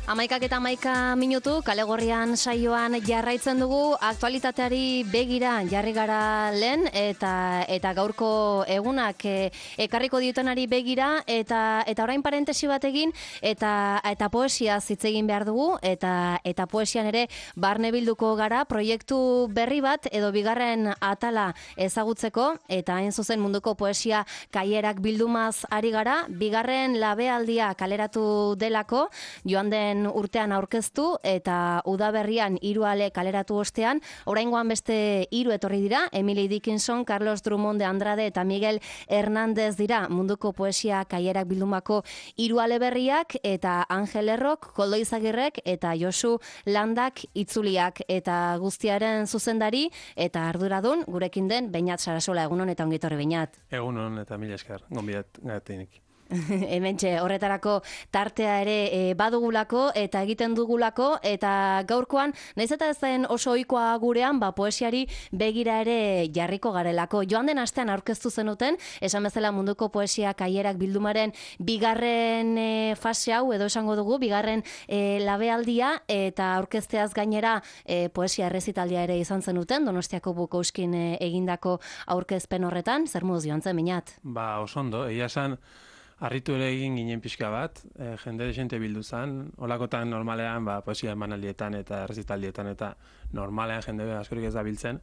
11:11 kale gorrian saioan jarraitzen dugu, aktualitateari begira jarri gara lehen eta gaurko egunak ekarriko diotenari begira eta orain parentesi bat egin eta poesia hitz egin behar dugu eta poesian ere barne bilduko gara proiektu berri bat edo bigarren atala ezagutzeko eta hain zuzen munduko poesia kaierak bildumaz ari gara, bigarren labealdia kaleratu delako, joan den urtean aurkeztu eta udaberrian 3 ale kaleratu ostean, oraingoan beste 3 etorri dira, Emily Dickinson, Carlos Drummond de Andrade eta Miguel Hernández dira munduko poesia kaierak bildumako 3 ale berriak eta Angel Errok, Koldo Izagirrek eta Josu Landak itzuliak eta guztiaren zuzendari eta arduradun gurekin den Beñat Sarasola. Egunon eta ongi etorri Beñat. Egunon eta mila esker, gonbidat gatinik. Hementxe, horretarako tartea ere badugulako eta egiten dugulako eta gaurkoan, naiz eta ez den oso ohikoa gurean, poesiari begira ere jarriko garelako. Joan den astean aurkeztu zenuten, esan bezala munduko poesia kaierak bildumaren bigarren fase hau, edo esango dugu, bigarren labealdia eta aurkezteaz gainera poesia errezitaldia ere izan zenuten, Donostiako Bukouskin egindako aurkezpen horretan, zer moduz joan zen, Beñat? Oso ondo, egia esan, harritu ere egin ginen pixka bat, jende desente bildu zen, holakotan normalean poesia emanaldietan eta errezitaldietan eta normalean jende askorik ez da biltzen,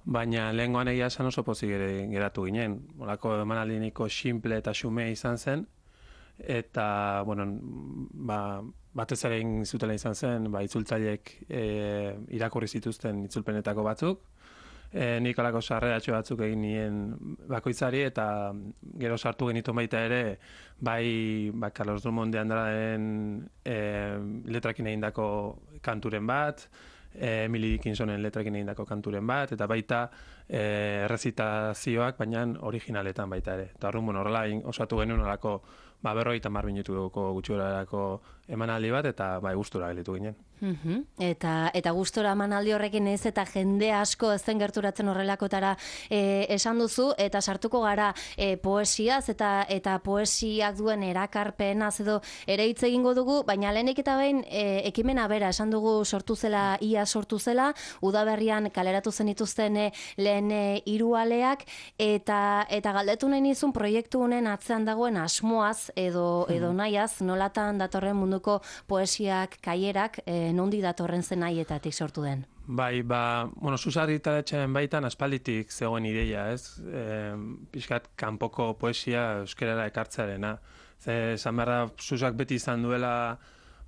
baina lehengoan egia esan oso pozik geratu ginen, holako emanaldiniko simple eta xume izan zen, eta, batez ere egin zutela izan zen, itzultzaileek irakurri zituzten itzulpenetako batzuk, nik alako sarreratxo batzuk egin nien bakoitzari eta gero sartu genitu baita ere Carlos Drummond de Andraden letrakin egindako kanturen bat, Emily Dickinsonen letrakin egindako kanturen bat, eta baita errezitazioak, baina originaletan baita ere. Eta horrela osatu genuen olako 50 minutuko gutxurarako emanaldi bat, eta gustura gelitu ginen. Eta gustora emanaldi horrekin ez eta jende asko ez zen gerturatzen horrelakotara esan duzu, eta sartuko gara poesiaz eta poesiak duen erakarpenaz edo ere hitz egingo dugu, baina lehenik eta behin ekimena bera esan dugu ia sortu zela, udaberrian kaleratu zenituzten lehen 3 aleak eta galdetu nahi nizun proiektu honen atzean dagoen asmoaz edo nahiaz, nolatan datorren munduko poesiak kaierak nondi datorren zen nahietatik sortu den? Zuzarritaratxaren baitan aspalditik zegoen ideia, ez? Pixkat kanpoko poesia euskerara ekartzearena. Esan beharra Zuzak beti izan duela,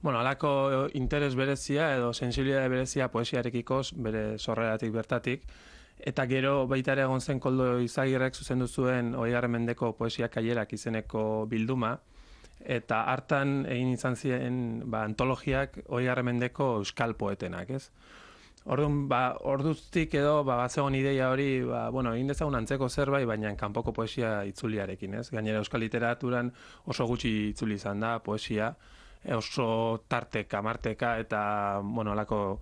halako interes berezia edo sensibilidade berezia poesiarekikoz, bere sorreratik bertatik, eta gero baita ere egon zen Koldo Izagirrek zuzendu zuen 20. mendeko poesia kaierak izeneko bilduma, eta hartan egin izan ziren antologiak 20. mendeko euskal poetenak, ez? Orduan, orduztik edo batzegoen ideia hori, egin dezagun antzeko zerbait, baina kanpoko poesia itzuliarekin, ez? Gainera euskal literaturan oso gutxi itzuli izan da poesia, oso tarteka, marteka, eta, alako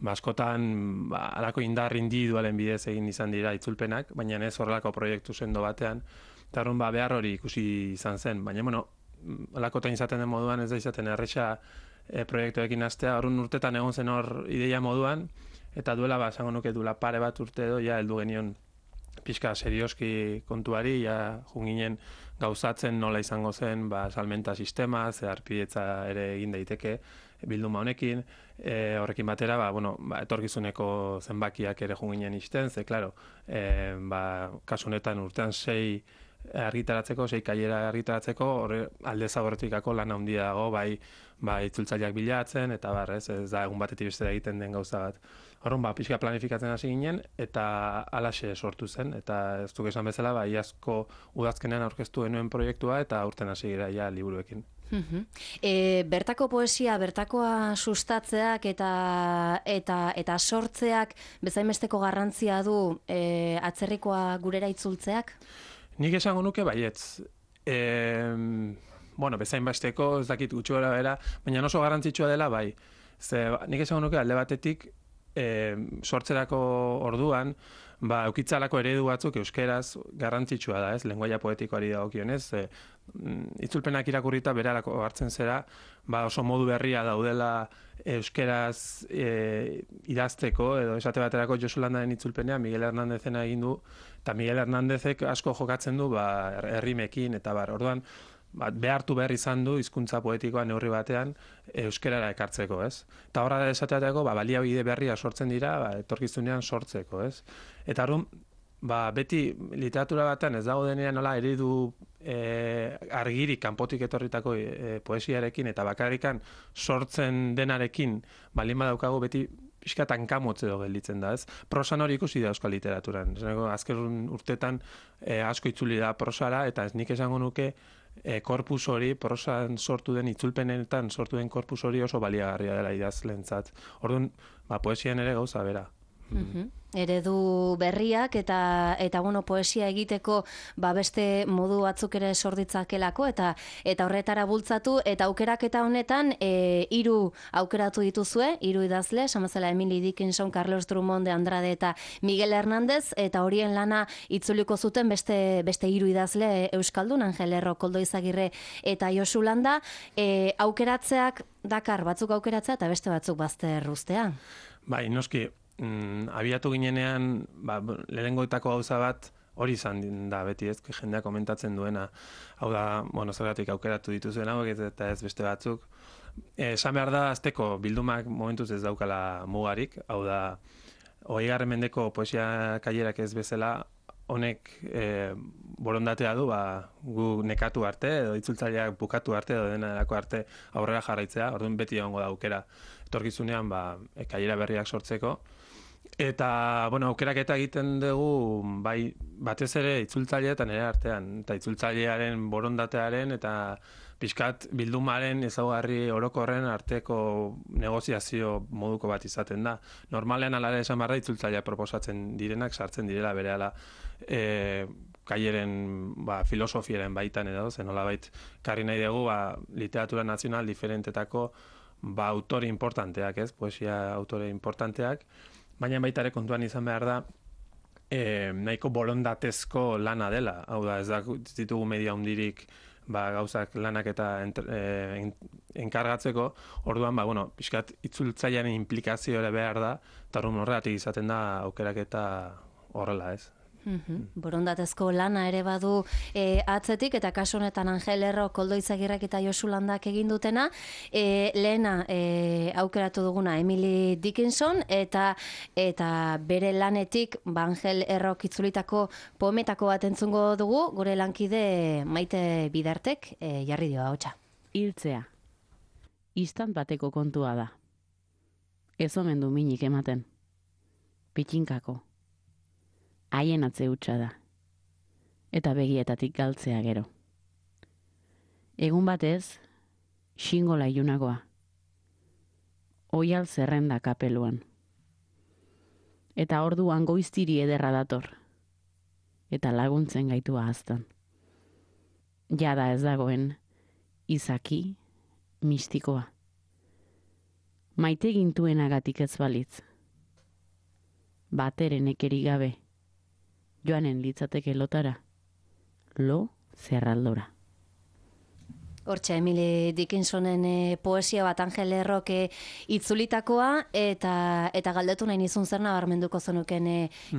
askotan alako indar individualen bidez egin izan dira itzulpenak, baina ez horrelako proiektu sendo batean, eta horren behar hori ikusi izan zen, baina, alakotan izaten den moduan ez da izaten erresa proiektuekin hastea, horren urtetan egon zen hor ideia moduan, eta duela, esango nuke duela pare bat urte edo, heldu genion pixka serioski kontuari, junginen gauzatzen nola izango zen salmenta sistema, zeharpidetza ere egin daiteke bilduma honekin, horrekin batera, etorkizuneko zenbakiak ere junginen isten, klaro, kasu honetan urtean 6 argitaratzeko, 6 kaiera argitaratzeko, alde zaborretikako lan handia dago, itzultzaileak bilatzen, eta ez da egun batetik bestera egiten den gauza bat. Horren, pixka planifikatzen hasi ginen, eta alaxe sortu zen, eta ez duk esan bezala, iazko udazkenean aurkeztu genuen proiektua, eta urten hasi gira liburuekin. Bertako poesia, bertakoa sustatzeak eta sortzeak bezainbesteko garrantzia du atzerrikoa gurera itzultzeak? Nik esango nuke baietz. Bezainbesteko, ez dakit gutxu gara bera, baina oso garrantzitsua dela bai. Nik esango nuke alde batetik sortzerako orduan, eukitzalako eredu batzuk euskeraz garrantzitsua da, ez? Lengoaia poetikoari dagokionez, itzulpenak irakurrita berarako hartzen zera, oso modu berria daudela euskeraz idazteko, edo esate baterako Josu Landaren itzulpenean Miguel Hernandezena egin du, eta Miguel Hernandezek asko jokatzen du errimekin, eta orduan, behartu behar izan du hizkuntza poetikoa neurri batean euskerara ekartzeko, ez? Eta horra esateateko, baliabide berria sortzen dira, etorkizunean sortzeko, ez? Eta orduan, beti literatura batean ez dago denean nola eredu argirik kanpotik etorritako poesiarekin eta bakarrikan sortzen denarekin balin badaukagu beti pixkat hankamotz edo gelditzen da, ez? Prosan hori ikusi da euskal literaturan. Azken urtetan asko itzuli da prosara, eta ez nik esango nuke korpus hori, prosan sortu den itzulpenetan sortu den korpus hori oso baliagarria dela idazlentzat. Orduan, poesian ere gauza bera. Eredu berriak eta bueno, poesia egiteko beste modu batzuk ere sorditzakelako eta horretara bultzatu eta aukeraketa honetan 3 aukeratu dituzue, 3 idazle, samazela Emily Dickinson, Carlos Drummond de Andrade eta Miguel Hernández, eta horien lana itzuliko zuten beste 3 idazle euskaldun, Angel Erro, Koldo Izagirre eta Josu Landa. Aukeratzeak dakar batzuk aukeratzea eta beste batzuk bazter uztea. Bai, noski, abiatu ginenean, lehenengoetako gauza bat hori izan da beti, ez, jendeak komentatzen duena. Hau da, zergatik aukeratu dituzuen hauek eta ez beste batzuk. Esan behar da, azteko bildumak momentuz ez daukala mugarik, hau da, 20. mendeko poesia kailerak ez bezala, honek borondatea du, gu nekatu arte, edo itzultzaileak bukatu arte, edo denarako arte aurrera jarraitzea, orduan beti egongo da aukera. Etorkizunean, kailera berriak sortzeko. Eta, aukeraketa egiten dugu, batez ere itzultzaileetan ere artean, eta itzultzailearen borondatearen, eta pixkat bildumaren ezaugarri orokorren arteko negoziazio moduko bat izaten da. Normalean alare esan barra itzultzailea proposatzen direnak, sartzen direla berehala kaileren filosofiaren baitan edo, zenola karri nahi dugu literatura nazional diferentetako autore importanteak, ez, poesia autore importanteak, baina baita ere kontuan izan behar da nahiko borondatezko lana dela. Hau da, ez ditugu media hundirik gauzak lanak eta enkargatzeko, orduan, pixkat itzultzailearen implikazio ere behar da, eta horregatik izaten da aukeraketa horrela, ez. Borondatezko lana ere badu atzetik, eta kasu honetan Angel Erro, Koldo Izagirrek eta Josu Landak egin dutena. Lehena aukeratu duguna Emily Dickinson, eta bere lanetik Angel Errok itzulitako poemetako bat entzungo dugu, gure lankide Maite Bidartek jarri dio ahotsa. Hiltzea. Istant bateko kontua da. Ez omen du minik ematen. Pitxinkako. Haien atze hutsa da. Eta begietatik galtzea gero. Egun batez, xingola ilunagoa. Oial zerrenda kapeluan. Eta orduan goiztiri ederra dator. Eta laguntzen gaitu ahaztan. Jada ez dagoen, izaki, mistikoa. Maite gintuenagatik ez balitz. Bateren ekeri gabe. Joanen litzateke lotara, lo zerraldora. Hortxe, Emily Dickinsonen poesia bat Angel Errok itzulitakoa, eta galdetu nahi nizun zer nabarmenduko zenuken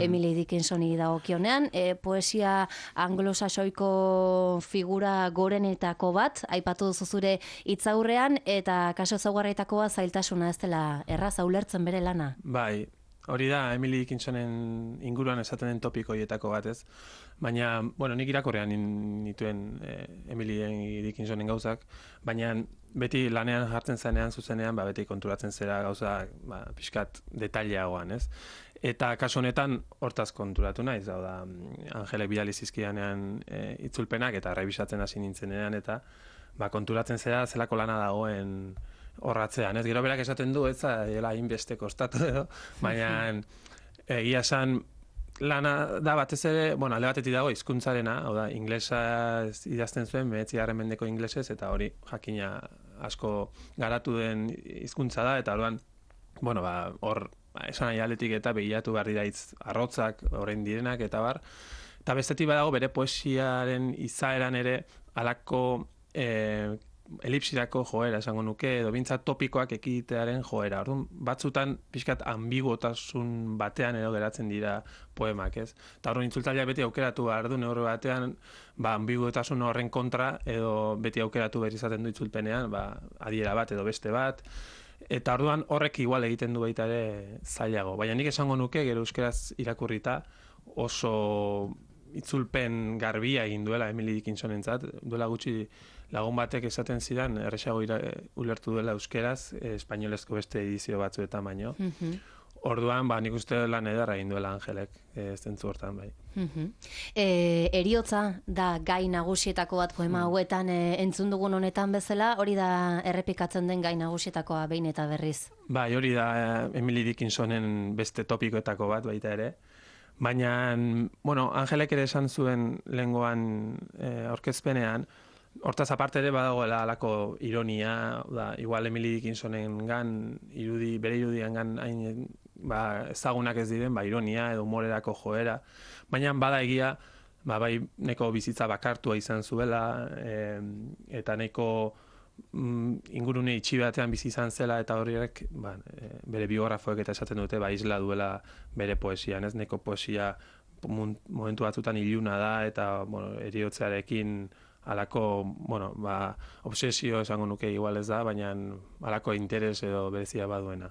Emily Dickinsoni dagokionean. Poesia anglosaxoiko figura gorenetako bat, aipatu duzu zure hitzaurrean, eta kaso ezaugarrietakoa zailtasuna ez dela erraza ulertzen bere lana. Bai. Hori da, Emily Dickinsonen inguruan esaten den topiko hietako bat, ez? Baina, nik irakorrean nituen Emily Dickinsonen gauzak, baina beti lanean jartzen zanean, zuzenean, beti konturatzen zera gauza pixkat detaileagoan, ez? Eta kasu honetan hortaz konturatu naiz, hau da, Angelek bidali zizkidanean itzulpenak, eta rebisatzen hasi nintzenean, eta konturatzen zera zelako lana dagoen horratzean, ez? Gero berak esaten du, ez dela hainbeste kostatu edo, baina egia esan lana da batez ere, alde batetik dago hizkuntzarena, hau da, inglesa idazten zuen, 19. mendeko inglesez, eta hori jakina asko garatu den hizkuntza da, eta orduan, hor esan nahi aldetik eta begiratu behar dira hitz arrotzak, orain direnak, eta bar. Eta bestetik badago bere poesiaren izaeran ere halako elipsirako joera esango nuke, edo bintzat topikoak ekitearen joera. Orduan, batzutan pixkat ambiguotasun batean edo geratzen dira poemak, ez? Eta orduan itzultzaileak beti aukeratu behar du, neurri batean, ambiguotasun horren kontra, edo beti aukeratu behar izaten du itzulpenean, adiera bat edo beste bat. Eta orduan horrek igual egiten du baita ere zailago. Baina nik esango nuke, gero euskeraz irakurrita, oso itzulpen garbia egin duela Emily Dickinsonentzat, duela gutxi lagun batek esaten zidan, erresago ulertu duela euskeraz, espainolezko beste edizio batzuetan baino. Orduan, nik uste lan ederra egin duela Angelek, zentzu hortan bai. Heriotza da gai nagusietako bat poema hauetan entzun dugun honetan bezala, hori da errepikatzen den gai nagusietakoa behin eta berriz. Bai, hori da Emily Dickinsonen beste topikoetako bat baita ere. Baina, Angelek ere esan zuen lehengoan aurkezpenean, hortaz aparte ere badagoela halako ironia, igual Emily Dickinsonen bere irudian hain ezagunak ez diren, ironia edo humorerako joera. Baina bada egia, bai neko bizitza bakartua izan zuela, eta neko ingurune itxi batean bizi izan zela, eta horiek bere biografoek eta esaten dute isla duela bere poesian, ez? Neko poesia momentu batzutan iluna da, eta heriotzarekin halako, obsesio esango nuke igual ez da, baina halako interes edo berezia baduena.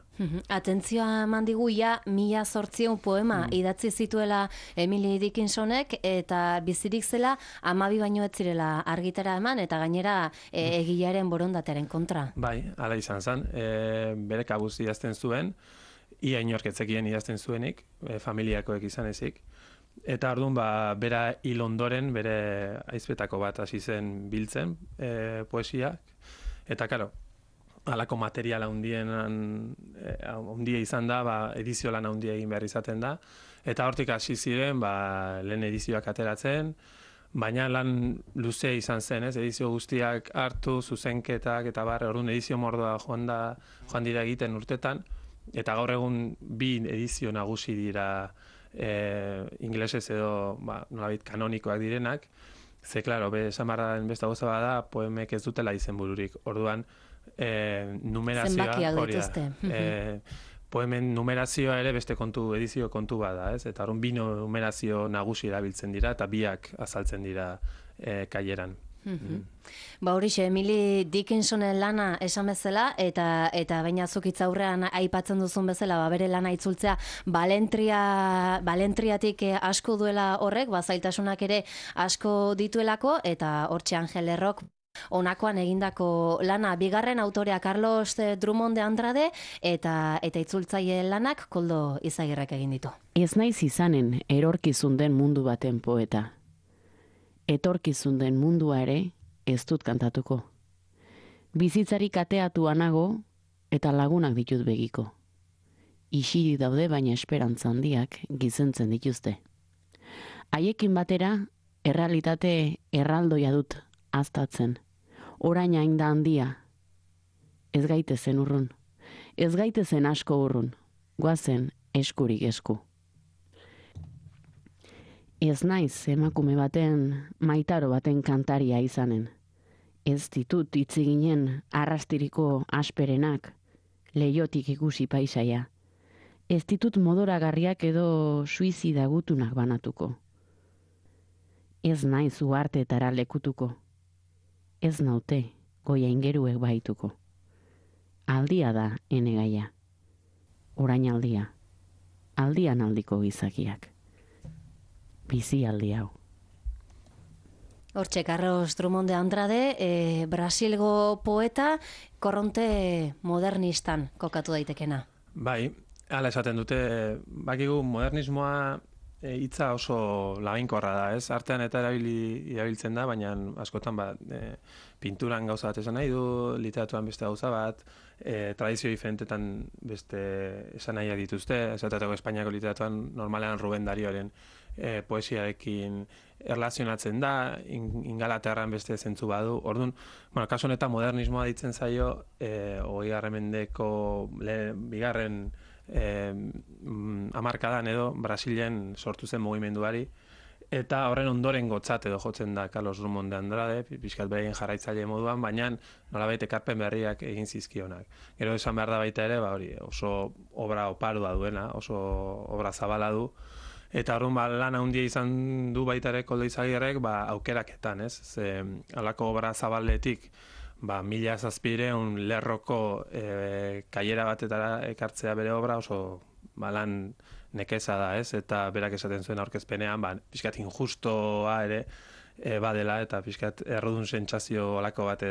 Atentzioa eman digu, 1800 poema idatzi zituela Emily Dickinsonek, eta bizirik zela 12 baino ez zirela argitara eman, eta gainera egilearen borondatearen kontra. Bai, hala izan zen, bere kabuz idazten zuen, ia inorketzekien idazten zuenik, familiakoek izan ezik. Eta orduan, bera hil ondoren, bere aizpetako bat hasi zen biltzen poesiak. Eta, karo, halako materiala handia izan da, edizio lan handia egin behar izaten da. Eta hortik hasi ziren, lehen edizioak ateratzen, baina lan luze izan zen, ez? Edizio guztiak hartu, zuzenketak, eta orduan edizio mordoa joan dira egiten urtetan. Eta gaur egun 2 edizio nagusi dira inglesez edo nolabait kanonikoak direnak, ze, klaro, esan barraren beste gauza bada, poemek ez dutela izenbururik. Orduan, numerazioa hori da. Poemen numerazioa ere beste edizio kontu bada, ez? Eta orduan 2 numerazio nagusi erabiltzen dira, eta 2 azaltzen dira kaileran. Horixe, Emily Dickinsonen lana esan bezala, eta baina zukitza aurrean aipatzen duzun bezala, bere lana itzultzea balentriatik asko duela horrek, zailtasunak ere asko dituelako, eta hortxe Angel Errok honakoan egindako lana, bigarren autorea Carlos Drummond de Andrade, eta itzultzaile lanak Koldo Izagirrek egin ditu. Ez naiz izanen erorkizun den mundu baten poeta. Etorkizun den mundua ere ez dut kantatuko. Bizitzari kateatu anago eta lagunak ditut begiko. Isiri daude baina esperantza handiak gizentzen dituzte. Haiekin batera, errealitate erraldoia dut aztatzen. Orain hain da handia. Ez gaitezen urrun. Ez gaitezen asko urrun. Goazen eskurik esku. Ez naiz emakume baten, maitaro baten kantaria izanen. Ez ditut itziginen arrastiriko asperenak, leiotik ikusi paisaia. Ez ditut modoragarriak edo suizida gutunak banatuko. Ez naiz uharteetara lekutuko. Ez naute goia ingeruek baituko. Aldia da enegaia. Orain aldia. Aldian aldiko gizakiak. Bizi aldi hau. Hortxe, Carlos Drummond de Andrade, Brasilgo poeta, korronte modernistan kokatu daitekena. Bai, hala esaten dute, bakigu modernismoa hitza oso labainkorra da, ez? Artean eta erabiltzen da, baina askotan pinturan gauza bat esan nahi du, literaturan beste gauza bat, tradizio diferentetan beste esan nahiak dituzte, esatetako Espainiako literaturan normalean Ruben Darioren poesiarekin erlazionatzen da, Ingalaterran beste zentzu badu. Orduan, kasu honetan modernismoa ditzen zaio, 20. mendeko bigarren hamarkadan edo Brasilen sortu zen mugimenduari, eta horren ondoren gotzat edo jotzen da Carlos Drummond de Andrade, pixkat beraien jarraitzaile moduan, baina nolabait ekarpen berriak egin zizkionak. Gero esan behar da baita ere, hori oso obra oparua duena, oso obra zabala du, eta horren lan handia izan du baita ere Koldo Izagirrek aukeraketan, ez? Ze halako obra zabaletik, 1700 lerroko kaiera batetara ekartzea bere obra oso lan nekeza da, ez? Eta berak esaten zuen aurkezpenean, pixkat injustoa ere badela, eta pixkat errudun sentsazio olako bat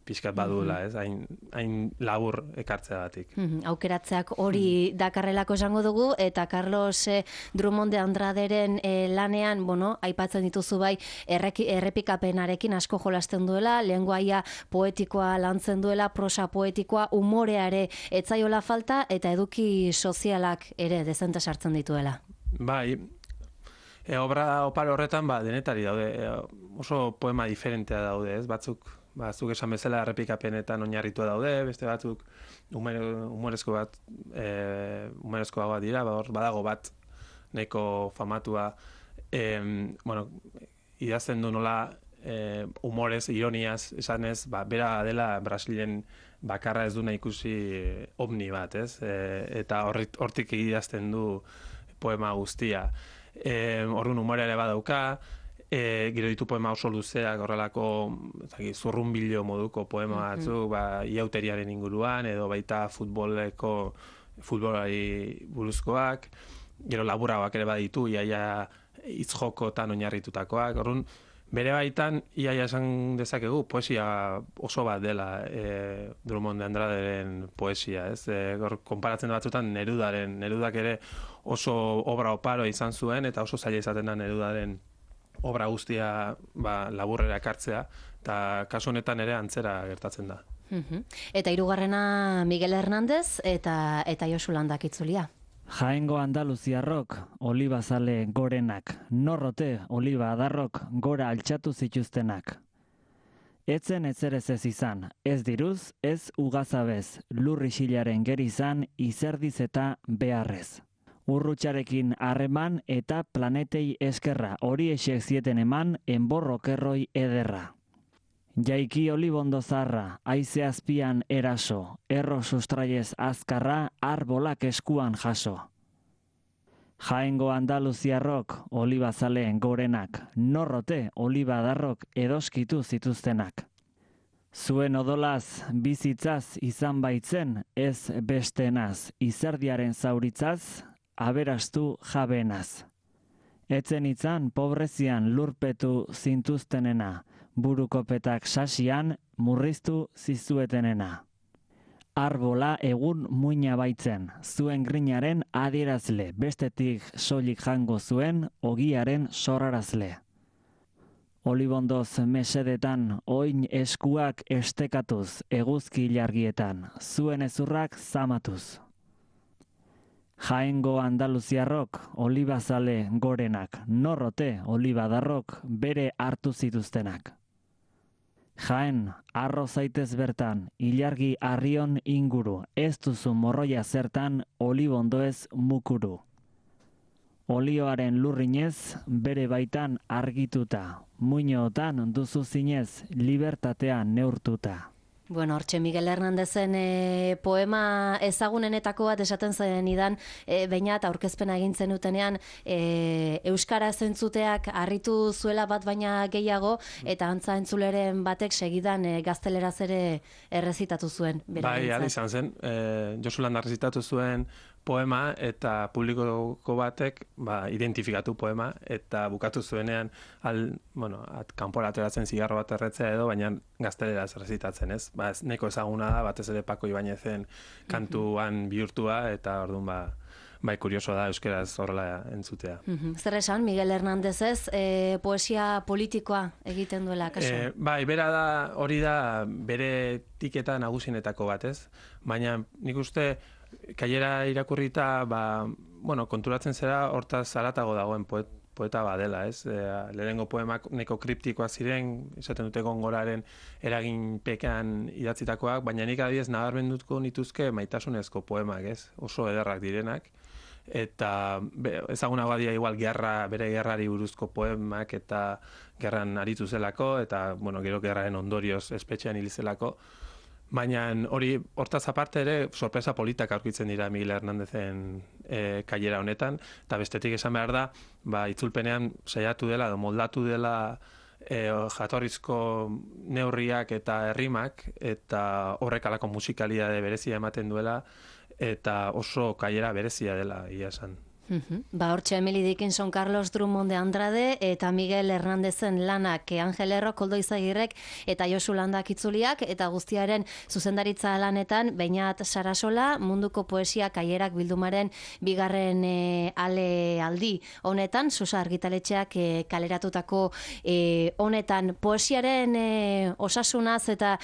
pixkat badula, ez? Hain labur ekartzeagatik. Aukeratzeak hori dakarrelako esango dugu, eta Carlos Drummond de Andraderen lanean, aipatzen dituzu bai, errepikapenarekin asko jolasten duela, lengoaia poetikoa lantzen duela, prosa poetikoa, umorea ere etzaiola falta, eta eduki sozialak ere dezente sartzen dituela. Bai, obra oparo horretan denetari daude, oso poema diferentea daude, ez? Batzuk esan bezala errepikapenetan oinarritua daude, beste batzuk humorezkoa bat dira, badago bat nahiko famatua, idazten du nola humorez, ironiaz, esanez, bera dela Brasilen bakarra ez duna ikusi ovni bat, ez? Eta hortik idazten du poema guztia. Orduan humorea ere badauka, gero ditu poema oso luzeak, horrelako zurrunbilo moduko poema batzuk, iauteriaren inguruan, edo baita futbolari buruzkoak, gero laburragoak ere baditu, iaia hitz-jokotan oinarritutakoak. Orduan, bere baitan, iaia esan dezakegu, poesia oso bat dela Drummond de Andraderen poesia, ez? Konparatzen batzutan Nerudak ere oso obra oparo izan zuen, eta oso zaila izaten da Nerudaren obra guztia laburrera ekartzea, eta kasu honetan ere antzera gertatzen da. Eta hirugarrena Miguel Hernández eta Josu Landak itzulia. Jaengo Andaluziarrok, olibazale gorenak, norrote oliba adarrok gora altxatu zituztenak. Etzen etzerez ez izan, ez diruz, ez ugazabez, lurri xilaren gerizan, izerdiz eta beharrez. Urrutxarekin harreman eta planetei eskerra, hori esek zieten eman, enborrokerroi ederra. Jaiki olibondo zarra, haize azpian eraso, erro sustraiez azkarra, arbolak eskuan jaso. Jaengo Andaluziarrok, olibazaleen gorenak, norrote olibadarrok edoskitu zituztenak. Zuen odolaz, bizitzaz izan baitzen, ez bestenaz, izerdiaren zauritzaz, aberastu jabenaz. Etzen itzan pobrezian lurpetu zintuztenena, burukopetak sasian murriztu zizuetenena. Arbola egun muina baitzen, zuen grinaren adierazle, bestetik soilik jango zuen ogiaren sorrarazle. Olibondoz mesedetan oin eskuak estekatuz, eguzki ilargietan, zuen ezurrak zamatuz. Jaengo Andaluziarrok, olibazale gorenak, norrote olibadarrok bere hartu zituztenak. Jaen, arro zaitez bertan, ilargi arrion inguru, ez duzu morroia zertan, olibondoez mukuru. Olioaren lurrinez, bere baitan argituta, muinootan duzu zinez, libertatea neurtuta. Bueno, hortxe Miguel Hernandezen poema ezagunenetako bat esaten zen idan, bainat aurkezpena egin zenutenean euskara zentzuteak harritu zuela bat baina gehiago, eta antza entzuleren batek segidan gazteleraz ere errezitatu zuen. Bai, izan zen, Josu Landa errezitatu zuen poema, eta publikoko batek identifikatu poema, eta bukatu zuenean kanpora ateratzen zigarro bat erretzea edo, baina gazteleraz errezitatzen, ez? Ez neko ezaguna da, batez ere Pako Ibainezen kantuan bihurtua, eta orduan kurioso da euskeraz horrela entzutea. Zer esan, Miguel Hernándezez, poesia politikoa egiten duela, kaso? Bai, bera da, hori da bere tiketa nagusienetako bat, ez? Baina nik uste kaiera irakurrita, konturatzen zera hortaz haratago dagoen poeta badela, ez? Lehenengo poemak neko kriptikoak ziren, esaten dute Gongoraren eraginpekean idatzitakoak, baina nik adibidez nabarmenduko nituzke maitasunezko poemak, ez? Oso ederrak direnak. Eta ezagunagoa dira igual bere gerrari buruzko poemak eta gerran aritu zelako, eta bueno, gero gerraren ondorioz espetxean hil zelako. Baina hortaz aparte ere sorpresa politak aurkitzen dira Miguel Hernandezen kailera honetan, eta bestetik esan behar da, itzulpenean saiatu dela, moldatu dela jatorrizko neurriak eta errimak, eta horrek alako musikalitate berezia ematen duela, eta oso kailera berezia dela, ia esan. Hortxe Emily Dickinson, Carlos Drummond de Andrade eta Miguel Hernandezen lanak Angel Erro, Koldo Izagirrek eta Josu Landak itzuliak, eta guztiaren zuzendaritza lanetan Beñat Sarasola, munduko poesia kaierak bildumaren bigarren aldi honetan, Susa argitaletxeak kaleratutako honetan poesiaren osasunaz eta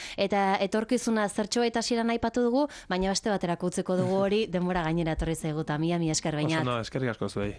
etorkizuna zertxo eta ziren aipatu dugu, baina beste baterako utzeko dugu hori, denbora gainera etorri zaigu, eta mila esker Beñat. Eskerrik asko zuei.